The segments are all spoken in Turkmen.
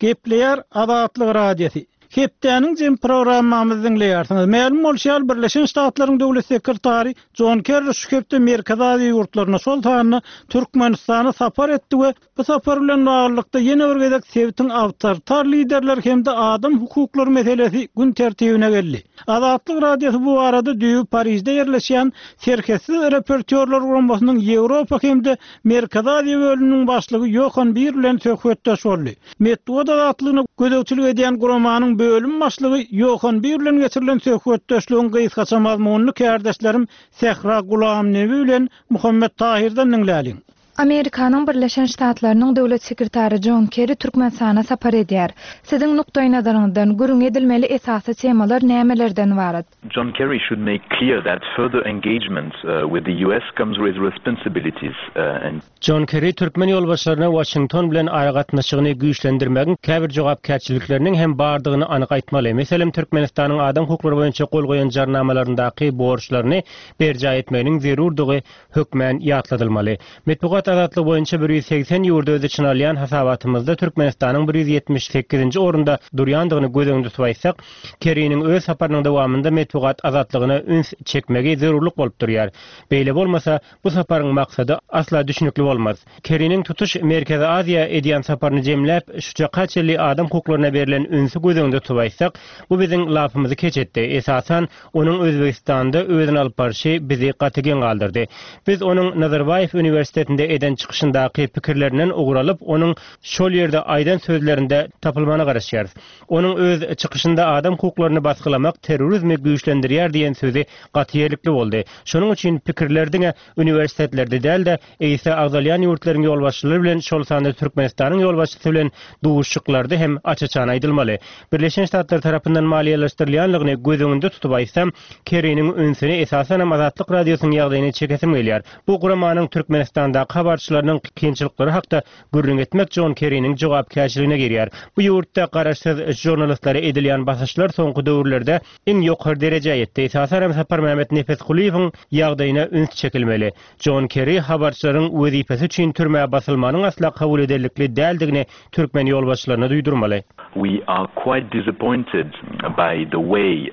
Gepleýär Azatlyk Radiosy. Hepdäniň jemi programmamyzy diňleýärsiňiz. Mälim bolşy ýaly, Birleşen Ştatlaryň Döwlet sekretary Jon Kerri şu hepde Merkezi Aziýa ýurtlaryna, şol sanda Türkmenistana sapar etdi we Bu sapar bilen baglylykda ýene bir gezek sebitiň awtoritar liderleri hem-de adam hukuklary meselesi gün tertibine geldi. Azatlyk Radiosy bu barada düýbi Parižde ýerleşýän Serhetsiz reportýorlar guramasynyň Ýewropa hem-de Merkezi Aziýa bölüminiň başlygy Ýohan Bir bilen söhbetdeş boldy. Metbugat azatlygyna gözegçilik edýän guramanyň bölüm başlygy Ýohan Bir bilen geçirilen söhbetdeşligiň gysgaça mazmunyny kärdeşlerim Sähra Gulamnebi bilen Muhammet Tahyrdan diňläliň. Amerikanyň Birleşen Ştatlarynyň Döwlet sekretary Jon Kerri Türkmenistana sapar edýär. Siziň nukdaýnazaryňyzdan, gürrüň edilmeli esasy temalar nämelerden ybarat? John Kerry should make clear that further engagement with the US comes with responsibilities and. Jon Kerri türkmen ýolbaşçylaryna Waşington bilen aragatnaşygyny güýçlendirmegiň käbir jogapkärçilikleriniň hem bardygyny anyk aýtmaly. Meselem, Türkmenistanyň adam hukuklary boýunça gol goýan jarnamalaryndaky borçlaryny berjaý etmeginiň zerurdygy hökmän ýatladylmaly. Metbugat azatlygy boýunça 180 ýurdy öz içine alýan hasabatymyzda Türkmenistanyň 178-nji orunda durýandygyny göz öňünde tutup aýtsak, Kerriniň öz saparynyň dowamynda metbugat azatlygyna üns çekmegi zerurlyk bolup durýar. Beýle bolmasa, bu saparyň maksady asla düşnükli bolmaz. Kerriniň tutuş Merkezi Aziýa edýän saparyny jemläp, şu çaka çenli adam hukuklaryna berlen ünsi göz öňünde tutup aýtsak, bu biziň lapymyzy keç etdi. Esasan, Onuň Özbegistanda özüni alyp barşy bizi gaty geň galdyrdy. Biz onuň Nazarbaýew uniwersitetinde eden çykyşyndaky pikirlerinden ugur alyp, onuň şol ýerde aýdan sözlerinde tapylmagyna garaşýarys. Onuň öz çykyşynda adam hukuklaryny basgylamak terrorizmi güýçlendirýär diýen sözi gaty ýerlikli boldy. Şonuň üçin pikirler diňe uniwersitetlerde däl-de, Eýse agzalýan ýurtlaryň ýolbaşçylary bilen, şol sanda Türkmenistanyň ýolbaşçysy bilen duşuşyklarda hem aç-açan aýdylmaly. Birleşen Ştatlar tarapyndan maliýeleşdirilýänligini göz öňünde tutup aýtsam, Kerriniň ünsüni esasanam Azatlyk Radiosynyň ýagdaýyna çekesim gelýär. Bu guramanyň Türkmenistandaky habarçylarynyň kynçylyklary hakda gürrüň etmek Jon Kerriniň jogapkärçiligine girýär. Bu ýurtda garaşsyz žurnalistlere edilýän basyşlar soňky döwürlerde iň ýokary derejä ýetdi. Esasanam Saparmämmet Nepesgulyýewiň ýagdaýyna üns çekilmeli. Jon Kerri habarçylaryň wezipesi üçin türmä basylmanyň asla kabul ederlikli däldigini türkmen ýolbaşçylaryna duýdurmaly. We are quite disappointed by the way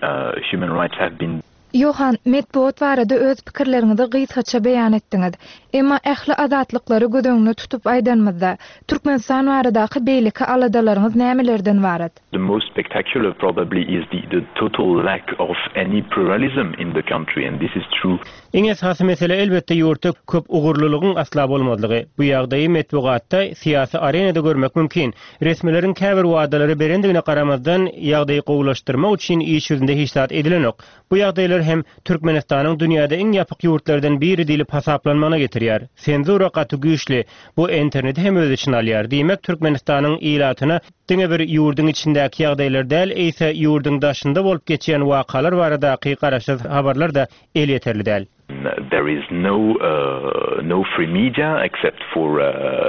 human rights have been. Johan, metbugat barada öz pikirleriňizi gysgaça beýan etdiňiz. Emma ähli azatlyklary göz öňünde tutup aýdanymyzda, Türkmenistan baradaky beýleki aladalaryňyz nämelerden ybarat? The most spectacular probably is the the total lack of any pluralism in the country and this is true. Iň esasy mesele elbetde ýurtda köp ugurlylygyň asla bolmazlygy. Bu ýagdaýy metbugatda, syýasy arenada görmek mümkin. Resmileriň käbir wadalary berendigine garamazdan, ýagdaýy gowulaşdyrmak üçin iş ýüzünde hiç zat edilenok. Bu ýagdaýlar hem Türkmenistanyň dünýäde iň ýapyk ýurtlardan biri diýlip hasaplanmagyna getirýär. Senzura gaty güýçli. Bu interneti hem öz içine alýar. Diýmek, Türkmenistanyň ilatyna diňe bir ýurduň içindäki ýagdaýlar däl, eýse ýurduň daşynda bolup geçýän wakalar baradaky garaşsyz habarlar-da elýeterli däl. There is no no free media except for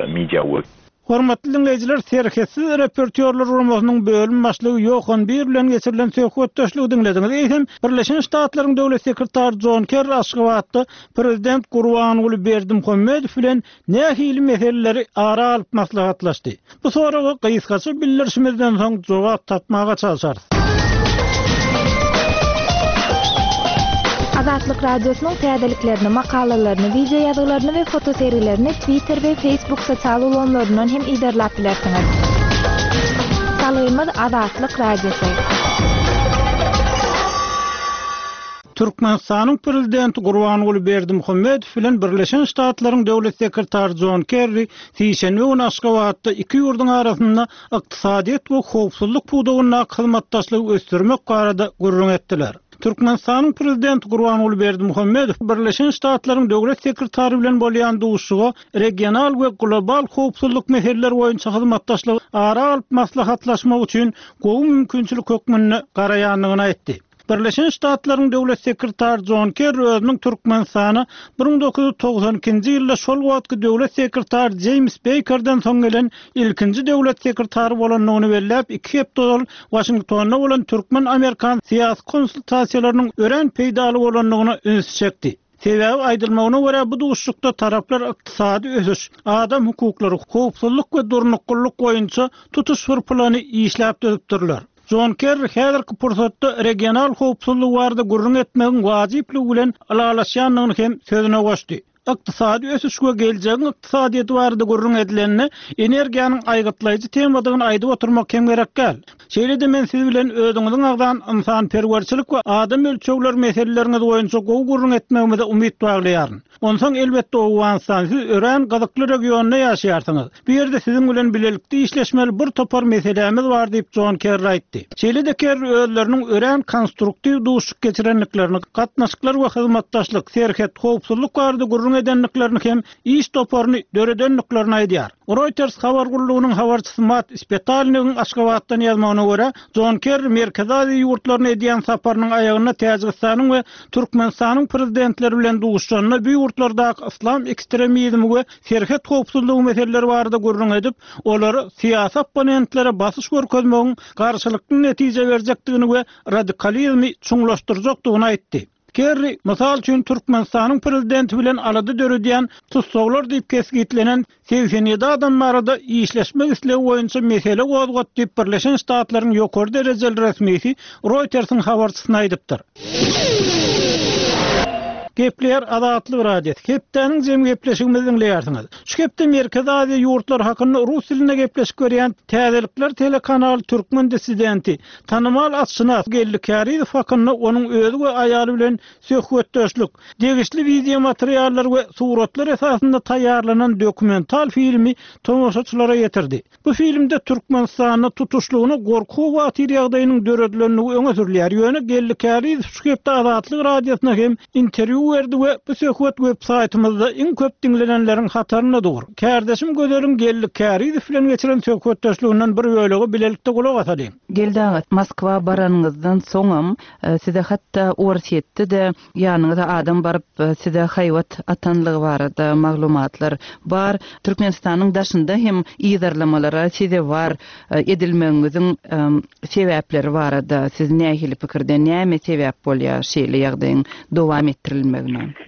media work. Hormatly diňleýjiler, Serhetsiz reportýorlar guramasynyň bölüm başlygy Ýohan Bir bilen geçirilen söhbetdeşligi diňlediňiz. Eýsem, Birleşen Ştatlaryň Döwlet sekretary Jon Kerri Aşgabatda prezident Gurbanguly Berdimuhamedow bilen nähili meseleleri ara alyp maslahatlaşdy? Bu soraga gysgaça bildirişimizden soň jogap tapmaga çalşarys. Azatlyk Radiosynyň täzeliklerini, makalalaryny, wideo ýazgylaryny we fotosergilerini Twitter we Facebook sosial ulgamlaryndan hem yzarlap bilersiňiz. Salgymyz Azatlyk Radiosy. Türkmenistanyň Prezidenti Gurbanguly Berdimuhamedow bilen Birleşen Ştatlaryň Döwlet sekretary Jon Kerri sişenbe güni Aşgabatda iki ýurduň arasynda ykdysadyýet we howpsuzlyk pudagyndaky hyzmatdaşlygy ösdürmek barada gürrüň etdiler. Türkmenistanyň Prezidenti Gurbanguly Berdimuhamedow Birleşen Ştatlaryň Döwlet sekretary bilen bolýan duşuşyga regional we global howpsuzlyk meseleleri boýunça hyzmatdaşlygy ara alyp maslahatlaşmak üçin gowy mümkinçilik hökmünde garaýandygyny aýtdy. Birleşen Ştatlaryň Döwlet sekretary Jon Kerri özüniň Türkmenistana 1992-nji ýylda şol wagtky döwlet sekretary Jeýms Beýkerden soň gelen ilkinji döwlet sekretary bolandygyny belläp, iki hepde ozal Waşingtonda bolan türkmen-amerikan syýasy konsultasiýalarynyň örän peýdaly bolandygyna ünsi çekdi. Sebäbi aýdylmagyna görä bu duşuşykda taraplar ykdysady ösüş, adam hukuklary, howpsuzlyk we durnuklylyk boýunça tutuş bir plany işläp düzüpdirler. Jon Kerri häzirki pursatda regional howpsuzlyk barada gürrüň etmegiň wajyplygy bilen ylalaşýandygyny hem sözüne goşdy. Ykdysady ösüş we geljegiň ykdysadyýeti barada gürrüň edilende, energiýanyň aýgytlaýjy temadygyny aýdyp oturmak hem gerek däl. Şeýle-de men siz bilen özüňiziň agzan ynsanperwerçilik we adam ölçegleri meseleleriňiz boýunça gowy gürrüň etmegimize umyt baglaýaryn. Onsoň, elbetde, Owganystan, siz örän gyzykly regionda ýaşaýarsyňyz. Bu ýerde siziň bilen bilelikde işleşmeli bir topar meselämiz bar diýip, Jon Kerri aýtdy. Şeýle-de Kerri özleriniň örän konstruktiw duşuşyk geçirendiklerini, gatnaşyklar we hyzmatdaşlyk, serhet, howpsuzlyk barada gürrüň edendiklerini hem iş toparyny döredendiklerini aýdýar. Reuters habar gullugynyň habarçysy Matt Spetalnigiň Aşgabatdan ýazmagyna görä, Jon Kerri Merkezi Aziýa ýurtlaryna edýän saparynyň aýagynda Täjigistanyň we Türkmenistanyň prezidentleri bilen duşuşanda bu ýurtlardaky yslam ekstremizmi we serhet howpsuzlygy meseleleri barada gürrüň edip, olara syýasy opponentlere basyş görkezmegiň garşylykly netije berjekdigini we radikalizmi çuňlaşdyrjakdygyny aýtdy. Kerri, mysal üçin, Türkmenistanyň prezidenti bilen alada döredýän tussaglar diýip kesgitlenen 87 adam barada işleşmek islegi boýunça mesele gozgat diýip, Birleşen Ştatlaryň ýokary derejeli resmisi Reuters-iň habarçysyna aýdypdyr. Gepleýär Azatlyk Radiosy, Hepdäniň jemi gepleşigimizi diňleýärsiňiz. Şu hepde Merkezi Aziýa ýurtlary hakynda rus dilinde gepleşik berýän Täzelikler telekanaly türkmen dissidenti, tanymal atşynas Geldi Kärizow hakynda onuň özi we aýaly bilen söhbetdeşlik, degişli wideomateriallar we suratlar esasynda taýýarlanan dokumental filmi tomaşaçylara ýetirdi. Bu filmde Türkmenistanda tutuşlygyna gorky-howatyr ýagdaýynyň döredilendigi öňe sürülýär. Ýöne Geldi Kärizow şu hepde Azatlyk Radiosyna hem interwýu berdi we bu söhbet web saýtymyzda iň köp diňlenenleriň hatarynda dur. Kärdeşim Gözeliň Geldi Kärizow bilen geçiren söhbetdeşliginden bir bölegi bilelikde gulak asalyň. Geldi aga, Moskwa baranyňyzdan soňam Size hatda Orsýetde-de ýanyňyza adam baryp size haýbat atanlygy barada maglumatlar bar. Türkmenistanyň daşynda hem yzarlamalara sezewar edilmegiňiziň sebäpleri barada siz nähili pikirde, näme sebäp bolýar şeýle ýagdaýyň dowam etdirilmegine?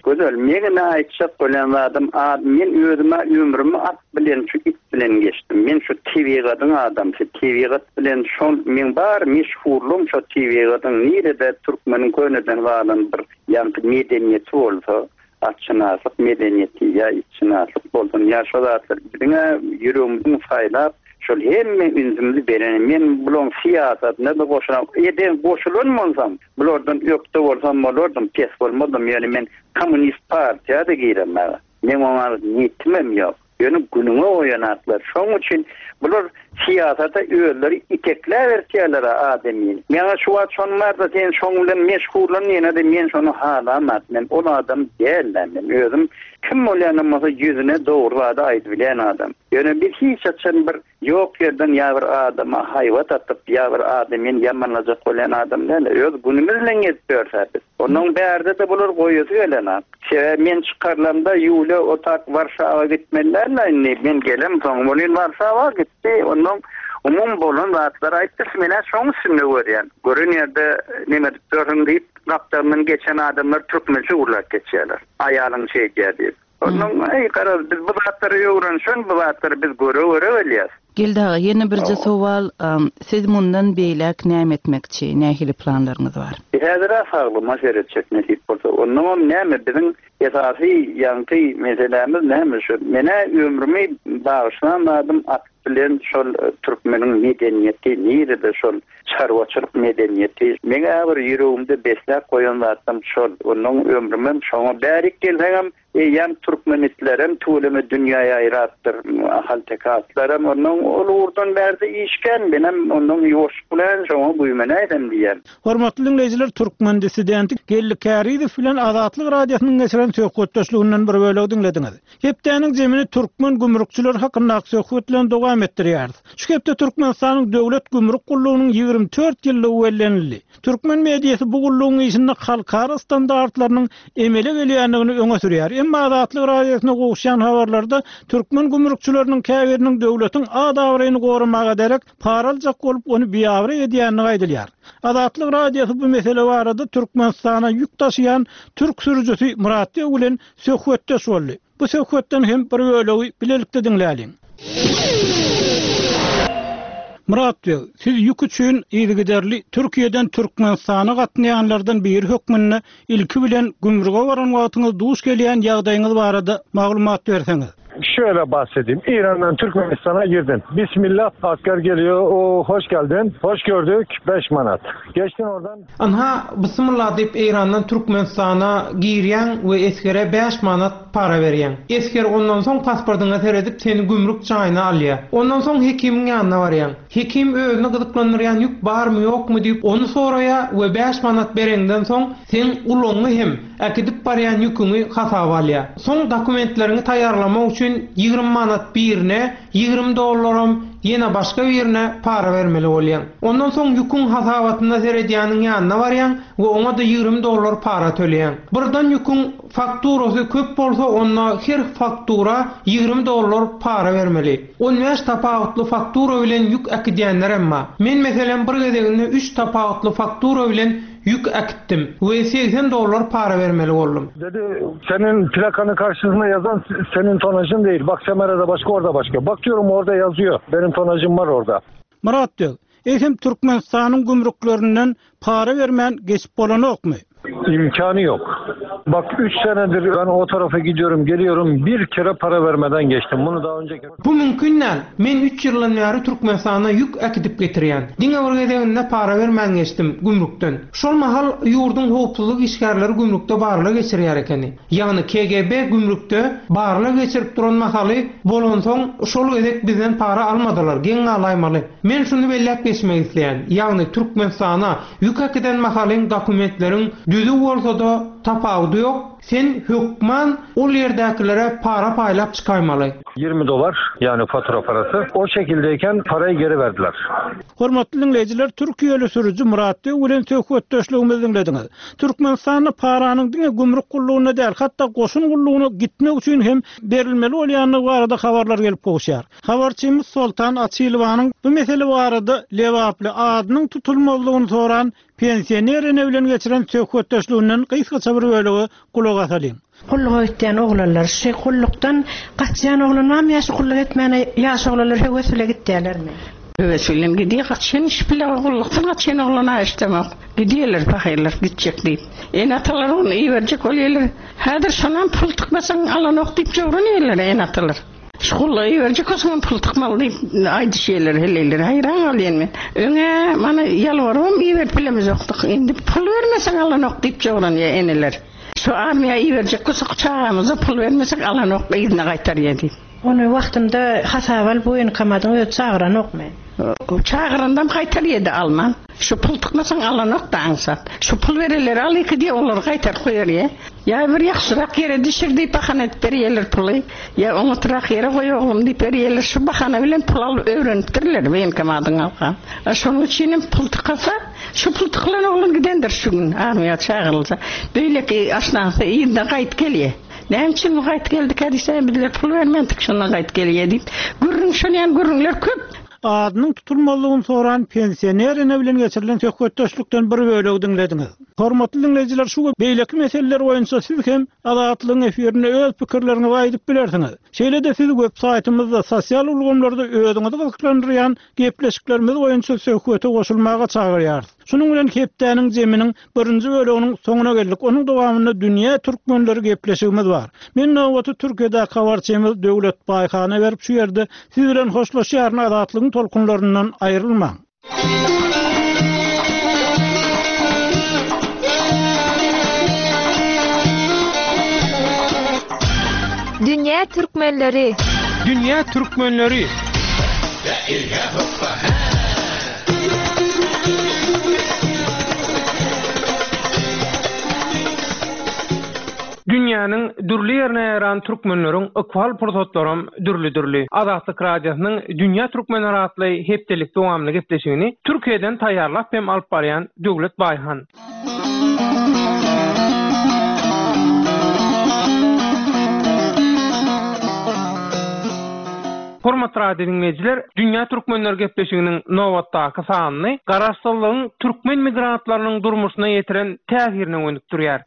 Gözel, meň-ä aýtjak bolýan zadym, men özüm-ä ömrümi at bilen şu it bilen geçdim. Men şu tebigatyň adamsy, tebigat bilen şol meň bar meşhurlygym şo tebigatyň nirede türkmeniň köneden galan bir ýaňky medeniýeti bolsa, atşynaslyk medeniýeti ýa itşynaslyk bolsun ýa şo zatlar biziň-ä ýüregimiziň saýlap şol hemme ünsümizi bereni men bulaň syýasatyna-da goşulam eden goşulan bolsam bulardan ökde bolsam bolardym pes bolmazdym ýöne men kommunist partiýa-da giremag. Meň oňa niýetimem ýok. Ýöne günüňe goýanaklar. Şoň üçin bular syýasata özleri itekläbertýärler-ä adamyny. Maňa şu wagt şonuň bar-da sen şoň bilen meşgullan diýene-de men şony halamak. Men ol adam däl-ä men. Özüm kim bolýanam bolsa ýüzüne dogry zady aýdybilýän adam. Ýöne biz hiç haçan bir Ýok ýerden ýa bir adama haýbat atyp, ýa bir adamyny ýamanlajak bolýan adam däl. Öz günümiz bilen gezip ýörse biz. Onnoň bärde-de bular goýasy gelenok. Sebäbi men çykarylamda Ýulýa o tak Warşawa gitmeli däl-ä indi. Men gelemsoň welin Warşawa gitdi. Onnoň umumy bolan zatlary aýtdy. Men-ä şoň üstünde görýän. Gören ýerde neme edip ýörsüň diýip, gapdalyndan geçen adamlar türkmençe gürläp geçýärler. Aýalyň şeýdýär diýip. Onnoň, eý, garaz, biz bu zatlary öwrenişen, bu zatlary biz göre-göre bilýäs. Geldi aga, ýene birje sowal, siz mundan beýläk näme etmekçi, nähili planlaryňyz bar? Häzir-ä saglygyma seretjek, nesip bolsa. Onnoňam näme, biziň esasy ýaňky meselämiz näme şu, men-ä ömrümi bagyşlan zadym at bilen şol türkmeniň medeniýeti, nirede şol çarwaçylyk medeniýeti. Meň-ä bir ýüregimde besläp goýan zatlam şol. Onnoň ömrümem şoňa. Bärik gelseňem, eýýäm türkmen itlerem tüweleme dünýä ýaýrapdyr. Ahalteke atlaram. Onnoň ol ugurdan bärde iş kän. Menem onnoň ýuwaşlyk bilen şoňa güýmenäýsem diýýän. Hormatly diňleýjiler, türkmen dissidenti Geldi Kärizow bilen Azatlyk Radiosynyň geçiren söhbetdeşliginden bir bölegi diňlediňiz. Hepdäniň zemini türkmen gümrükçileri hakyndaky söhbet bilen dowam. dowam etdirýäris. Şu hepde Türkmenistanyň Döwlet gümrük gullugynyň 24 ýyllygy bellenildi. Türkmen mediasy bu gullugyň işinde halkara standartlarynyň emele gelýändigini öňe sürýär. Emma Azatlyk Radiosyna gowuşýan habarlarda türkmen gümrükçileriniň käbiriniň döwletiň at-abraýyny goramaga derek, para aljak bolup, ony biabraý edýändigi aýdylýar. Azatlyk Radiosy bu mesele barada Türkmenistana ýük daşaýan türk sürüjisi Myrat Beg bilen söhbetdeş boldy. Bu söhbetden hem bir bölegi bilelikde diňläliň. Myrat beg, siz ýük üçin yzygiderli Türkiýeden Türkmenistana gatnaýanlardan biri hökmünde ilki bilen gümrüge baran wagtyňyz duş gelýän ýagdaýyňyz barada maglumat berseňiz. Şöyle bahsedeyim. İran'dan Türkmenistan'a girdim. Bismillah asker geliyor. O hoş geldin. Hoş gördük. 5 manat. Geçtin oradan. Ynha, Bismillah diýip Eýrandan Türkmenistana girýäň we esgere bäş manat para berýäň. Esger ondan soň pasportyňa seredip seni gümrük jaýyna alýar. Ondan soň hekimiň ýanyna barýaň. Hekim özüni gyzyklandyrýan ýük barmy ýokmy diýip ony soraýar we bäş manat bereňden soň seň ulagyňy hem äkidip barýan ýüküňi hasaba alýar. Soň dokumentleriňi taýýarlamak üçin 20 manat birine, 20 dollaram ýene başga birine para bermeli bolýaň. Ondan soň ýüküň hasabatyna seredýäniň ýanyna barýaň we oňa-da 20 dollar para töleýäň. Birden ýüküň fakturasy köp bolsa onda her faktura 20 dollar para bermeli. On bäş tapawutly faktura bilen ýük äkidýänlerem bar. Men meselem bir gezeginde üç tapawutly faktura bilen ýük äkitdim we 80 dollar para bermeli boldum. Dedi senin plakanın karşısında yazan senin tonajın değil. Bak Semera'da başka orada başka. Bak diyorum orada yazıyor. Benim tonajım var orada. Myrat beg, eýsem Türkmenistanyň gümrüklerinden para bermän geçip bolanokmy? İmkanı yok. Bak 3 senedir ben o tarafa gidiyorum geliyorum bir kere para vermeden geçtim. Bunu daha önce Bu mümkin däl. Men üç ýyldan bäri Türkmenistana ýük äkidip getirýän. Diňe bir gezeginde para bermän geçdim gümrükden. Şol mahal ýurduň howpsuzlyk işgärleri gümrükde barlag geçirýär ekeni. Ýagny KGB gümrükde barlag geçirip duran mahaly bolansoň şol gezek bizden para almadylar, geň galaýmaly. Men şuny belläp geçmek isleýän, ýagny Türkmenistana ýük äkiden mahalyň dokumentleriň düzüw bolsa-da tapawudy ýok, sen hökman ol ýerdäkilere para paýlap çykaýmaly. 20 dolar yani fatura parası. O şekildeyken parayı geri verdiler. Hormatly diňleýjiler, türkiýeli sürüji Myrat Beg bilen söhbetdeşligimizi diňlediňiz. Türkmenistanda paranyň diňe gümrük gullugyna däl, hatda goşun gullugyna gitmek üçin hem berilmeli bolýandygy barada habarlar gelip gowuşýar. Habarçymyz Soltan Açylowanyň bu mesele barada lebaply adynyň tutulmazlygyny soran pensioner ene bilen geçiren söhbetdeşliginden gysgaça bir bölege gulak asalyň. Gulluga gitýän oglanlar şu gullukdan gaçýan oglan barmy ýa şu gulluk etmäne ýaş oglanlar höwes bile gitýälermi? Höwes bilen gidýär gaçýan iş bile gullukdan gaçýan oglan-a eşdemok. Gidýärler pahyrlar gitjek diýip. Ene-atalar ony iberjek bolýarlar. Häzir şonam pul tykmasaň alanok diýip jowranýarlar ene-atalar. Şu gulluga iberjek bolsaňam pul tykmaly diýip aýdyşýarlar heleýler. Haýran galýan men. Öň-ä mana ýalbarybam iberip bilemizokdyk. Indi pul bermeseň alanok diýip jowranýar eneler. Şu armiýa iberjek bolsak çagamyza pul bermesek alanok yzyna gaýtarýar diýip. Ony wagtynda hasaba alyp woýenkomadyň özi çagyranokmy? Çagyrandam gaýtarýardy alman. Şu pul tykmasaň alanok-da aňsat. Şu pul berenleri al iki diýip olary gaýtaryp goýberýär. Ýa bir ýagşyrak ýere düşür diýip bahana edip berýärler puly. Ýa oňatrak ýere goý oglum diýip berýärler. Şu bahana bilen pul alyp öwrenipdirler woýenkomadyň halkam. Şonuň üçinem pul tykasa, şu pul tykylan oglan gidendir şu gün armiýa çagyrylsa. Beýleki aşnasy yzyna gaýdyp gelýär. Näme üçin bu gaýdyp geldikä diýse, bizler pul bermändik şondan gaýdyp gelýär diýip. Gürrüň şol ýaly gürrüňler köp. Adynyň tutulmazlygyny soran pensioner ene bilen geçirilen söhbetdeşlikden bir bölegi diňlediňiz. Hormatly diňleýjiler şu we beýleki meseleler boýunça siz hem Azatlygyň efirinde öz pikirleriňizi aýdyp bilersiňiz. Şeýle-de siz web saýtymyzda, sosial ulgamlarda özüňizi gyzyklandyrýan gepleşiklerimiz boýunça söhbete goşulmaga çagyrýarys. Şunuň bilen hepdäniň jeminiň birinji böleginiň soňuna geldik. Onuň dowamynda Dünýä türkmenleri gepleşigimiz bar. Men nobaty Türkiýedäki habarçymyz Döwlet Baýhana berip şu ýerde siz bilen hoşlaşýaryn Azatlygyň tolkunlaryndan aýrylmaň. Dünýä türkmenleri. Dünýä türkmenleri. Dünýä. Dünýäniň dürli ýerine ýaýran türkmenleriň ykbal pursatlaram dürli-dürli. Azatlyk Radiosynyň Dünýä türkmenleri atly hepdelik dowamly gepleşigini Türkiýeden taýýarlap hem alyp barýan Döwlet Baýhan. Hormatly radio diňleýjiler, Dünýä türkmenleri gepleşiginiň nobatdaky sanyny Garaşsyzlygyň türkmen migrantlarynyň durmuşyna ýetiren täsirine gönükdirýär.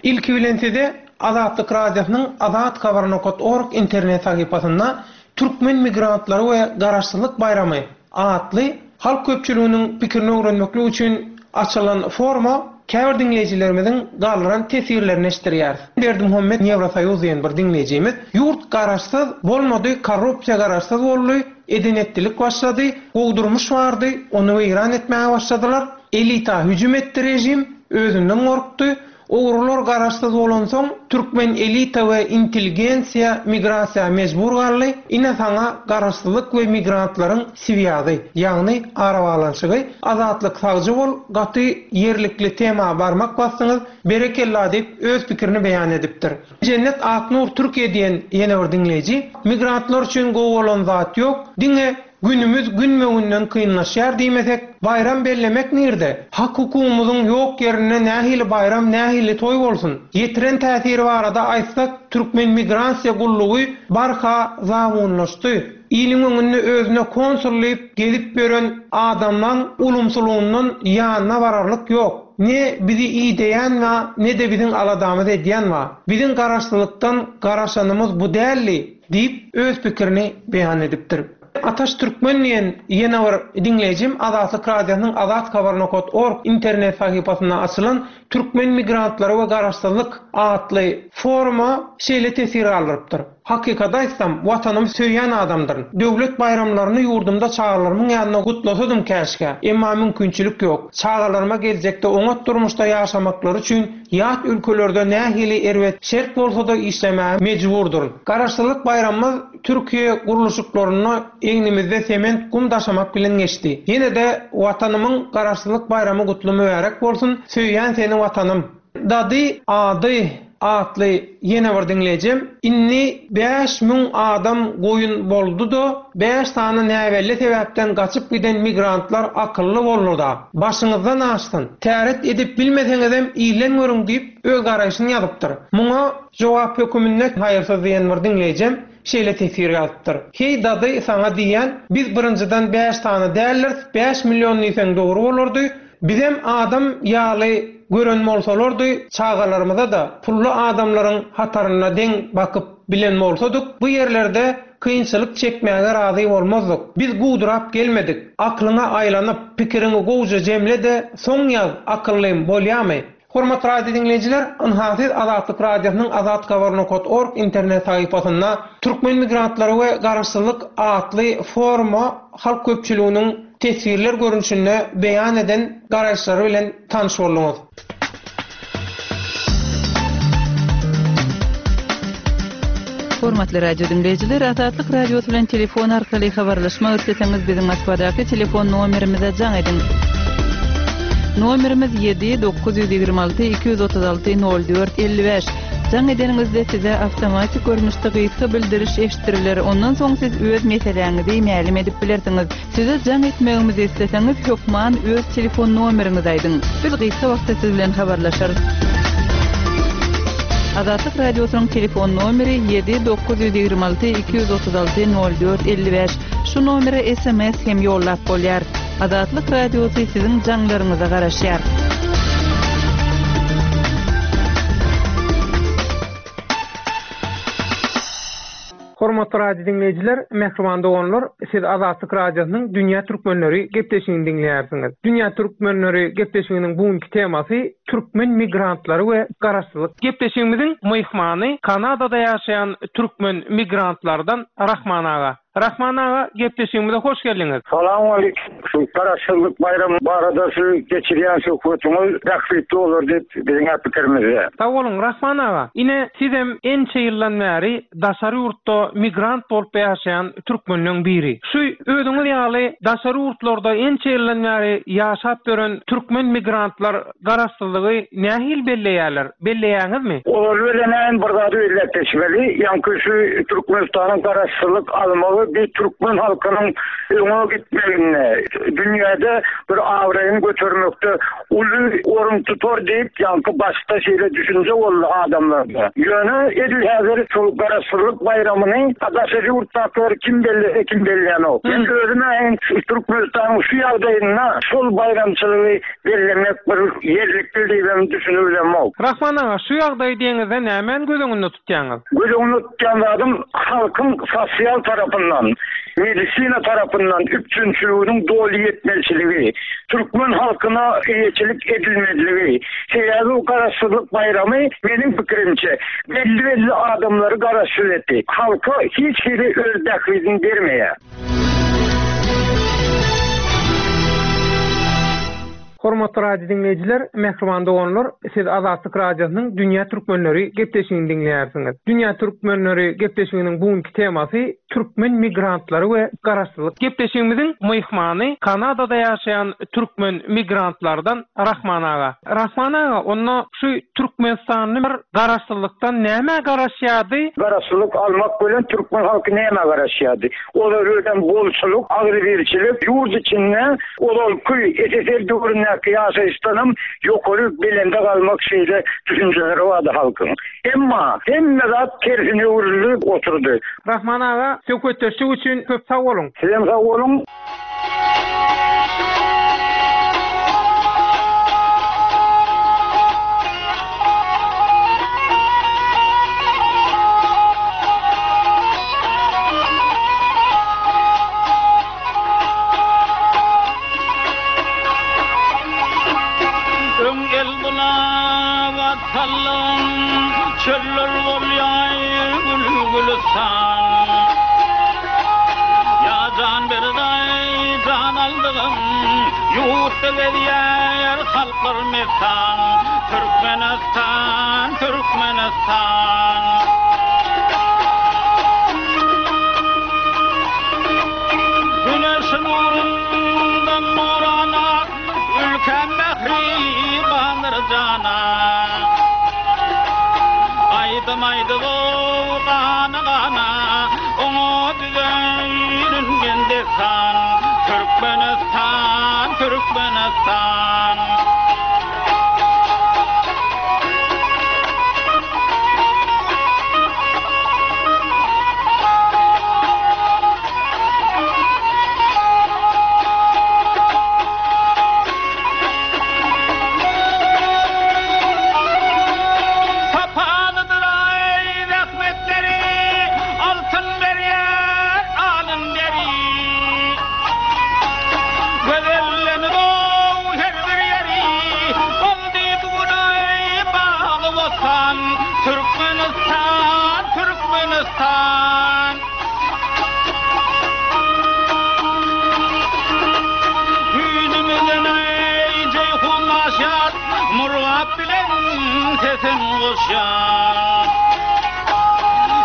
Ilki bilen size Azatlyk Radiosynyň Azat Habar nokat org internet sahypasynda Türkmen migrantlary we Garaşsyzlyk baýramy atly halk köpçüliginiň pikirini öwrenmeklik üçin açylan foruma käbir diňleýjilerimiziň galdyran teswirlerini eşitdirýäris. Berdimuhammet Ýewrosoýuz diýen bir diňleýjimiz, Ýurt garaşsyz bolmady, korrupsiýa garaşsyz boldy, eden-etdilik başlady, gowy durmuş bardy, ony weýran etmäge başladylar, elita hüjüm etdi režim, özünden gorkdy, Ogrular garaşsyz bolansoň türkmen elita we intelligensiýa migrasiýa mejbur galdy, ine saňa garaşsyzlyk we migrantlaryň swýazy, ýagny arabaglanyşygy, Azatlyk sagja bol gaty ýerlikli tema barmak basdyňyz, berekella diýip öz pikirini beýan edipdir. Jennet Aknur Türkiýe diýen ýene bir diňleýji, migrantlar üçin gowy bolan zat ýok, diňe Günümiz günbe-günden kynlaşýar diýmesek, baýram bellemek nirde? Hak-hukugymyzyň ýok ýerinde nähili baýram, nähili toý bolsun? Ýetiren täsiri barada aýtsak, türkmen migrasiýa gullugy barha zabunlaşdy. Iliň öňünde özüne konsul diýip gezip ýören adamlaň ulumsylygyndan ýanyna bararlyk ýok. Ne bizi ideýän ba, ne-de biziň aladamyzy edýän ba. Biziň garaşlylykdan garaşanymyz bu däldi. Diýip, öz pikirini beýan edipdir. Ataş Türkmen diýen ýene bir diňleýjim Azatlyk Radiosynyň Azathabar nokat org internet sahypasynda açylan Türkmen migrantlary we garaşsyzlyk atly foruma şeýle teswir galdyrypdyr, Hakykaty aýtsam, Watanymy söýýän adamdyryn. Döwlet baýramlaryny ýurdumda çagalarymyň ýanynda gutlasadym käşgä. Emma mümkinçilik ýok. Çagalaryma geljekde oňat durmuşda ýaşamaklary üçin Ýat ülkelerde nähili erbet şert bolsa-da işlemäge mejburdyryn. Garaşsyzlyk baýramymyz Türkiýe gurluşyklarynda egnimizde sement gum daşamak bilen geçdi. Ýene-de Watanymyň Garaşsyzlyk baýramy gutly mübärek bolsun, söýýän seni Watanym! Dady ady atly ýene bir diňleýjim, indi 5000 adam goýun boldy-da, bäş sany näbelli sebäpden gaçyp giden migrantlar akylly boldy-da. Başyňyzdan aşsyn. Täret edip bilmeseňizem ilden görüň diýip, öz garaýşyny ýazypdyr. Muňa jogap höküminde Haýyrsyz diýen bir diňleýjem şeýle teswir ýazypdyr. Heý dady saňa diýýän, biz birinjiden bäş sany däldiris, 5000 diýseň dogry bolardy, Bizem adam ýaly gören bolsalardy, çagalarymyza-da pully adamlaryň hatarynda deň bakyp bilen bolsadyk, bu ýerlerde kynçylyk çekmäge razy bolmazdyk. Biz guwdurap gelmedik. Aklyňa aýlanyp, pikiriňi gowja jemle-de, soň ýaz, akyllym, bolýamy? Hormatly radio diňleýjiler, ynha siz Azatlyk Radiosynyň azathabar nokat org internet sahypasynda Türkmen migrantlary we garaşsyzlyk atly foruma halk köpçüliginiň teswirler görnüşinde beýan eden garaýyşlary bilen tanyş bolduňyz. Hormatly radio diňleýjiler, Azatlyk Radiosy bilen telefon arkaly habarlaşmak isleseňiz biziň Moskwadaky telefon nomerimize jaň ediň. Nomerimiz 7 926 236 04 55. Jaň edeniňizde size awtomatik görnüşde gysga bildiriş eşitdiriler, ondan soň siz öz meseläňizi mälim edip bilersiňiz. Size jaň etmegimizi isleseňiz hökman öz telefon nomeriňizi aýdyň. Biz gysga wagtda siz bilen habarlaşarys. Azatlyk Radiosynyň telefon nomeri 7 926 236 04 55. Şu nomere sms hem ýollap bolýar. Azatlyk Radiosy siziň jaňlaryňyza garaşýar. Hormatly radio diňleýjiler, mähriban doganlar, siz Azatlyk Radiosynyň Dünýä Türkmenleri gepleşigini diňleýärsiňiz. Dünýä Türkmenleri gepleşiginiň bu günki temasy Türkmen migrantlary we garaşsyzlyk. Gepleşigimiziň myhmany Kanadada ýaşaýan türkmen migrantlardan Rahman aga. Rahman aga, gepleşigimize hoş geldiňiz. Salowmaleýkim. Şu Garaşsyzlyk baýramy barada şu geçirýän söhbetiňiz bähbitli bolar diýip biziň-ä pikirimizde. Sag boluň, Rahman aga. Ine, sizem ençe ýyldan bäri daşary ýurtda migrant bolup ýaşaýan türkmenleň biri. Şu özüňiz ýaly daşary ýurtlarda ençe ýyldan bäri ýaşap ýören türkmen migrantlar Garaşsyzlygy nähili belleýärler? Belleýäňizmi? Ozaly bilen bir zady belläp geçmeli, ýaňky şu Türkmenistanyň garaşsyzlyk almagy bir türkmen halkynyň öňe gitmeginde, dünýäde bir abraýyny götermekde uly orun tutar diýip, ýaňky başda şeýle düşünje boldy adamlarda. Ýöne edil häzir şol garaşsyzlyk baýramyny daşary ýurtdakylar kim bellese kim bellänok. Men özüm-ä Türkmenistanyň şu ýagdaýynda şol baýramçylygy Bellemek bir ýerlikli diýibem düşünibilemok. Rahman aga, şu ýagdaýy diýeňizde nämäni göz öňünde tutýaňyz? Göz öňünde tutýan zadym halkyň sosial tarapyndan, medisina tarapyndan üpjünçiliginiň doly ýetmezçiligi, türkmen halkyna eýeçilik edilmezligi. Sebäbi bu garaşsyzlyk baýramy meniň pikirimçe belli-belli adamlary garaşsyz etdi. Halka hiç hili öz bähbidini bermeýär. Hormatly radio diňleýjiler, mähriban doganlar, siz Azatlyk Radiosynyň Dünýä Türkmenleri gepleşigini diňleýärsiňiz. Dünýä Türkmenleri gepleşiginiň bu günki temasy türkmen migrantlary we garaşsyzlyk. Gepleşigimiziň myhmany Kanadada ýaşaýan türkmen migrantlardan Rahman aga. Rahman aga, onda şu türkmenistanly bir garaşsyzlykdan nämä garaşýardy? Garaşsyzlyk almak bilen türkmen halky nämä garaşýardy? Olar özem bolçulyk, agzybirçilik, ýurt içinde ozalky SSR döwründäki ýaşaýyşdanam ýokary belende galmak şeýle düşünjeleri bardy halkyň. Emma hemme zat tersine öwrüldi oturdy. Rahman aga, söhbetdeşlik üçin köp sag boluň! Sizem sag boluň! Öň el bulap sallan, Çöller bolýar gül-gülüstan. Ýa jan berdaý, jan aldygym, Ýurtda gezýär halklar messan. Türkmenistan, Türkmenistan. Güneş nurundan nurana, Ülkäm mähribandyr jana. Aýdym aýdyp-ow gana-gana, Oňa düzeýin men dessan. Türkmenistan, Türkmenistan. Sapalydyr-aý zähmetleri, Altyn berýär alyn deri. Gözellenip-ow her bir ýeri, Boldy bu gün-aý bagy-bossan. Türkmenistan, Türkmenistan! Güýzümizden eý Jeýhun aşýar, Murgap bilen sesin goşýar.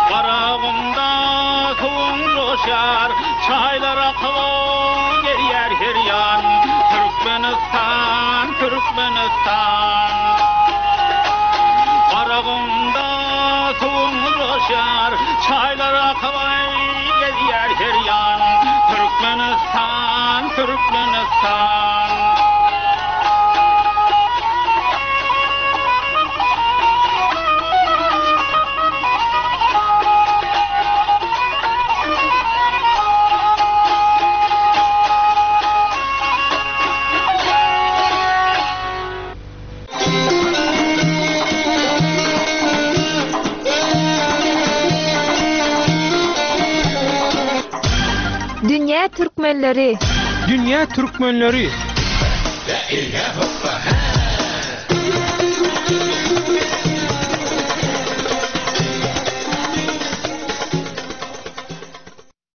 Garagumda suwuň joşýar, Çaýlar akyp gelýär her ýan. Türkmenistan, Türkmenistan! Garagumda suwuň joşýar, Çaýlar akyp gelýär her ýan. Türkmenistan, Türkmenistan! Dünýä türkmenleri. Dünýä türkmenleri.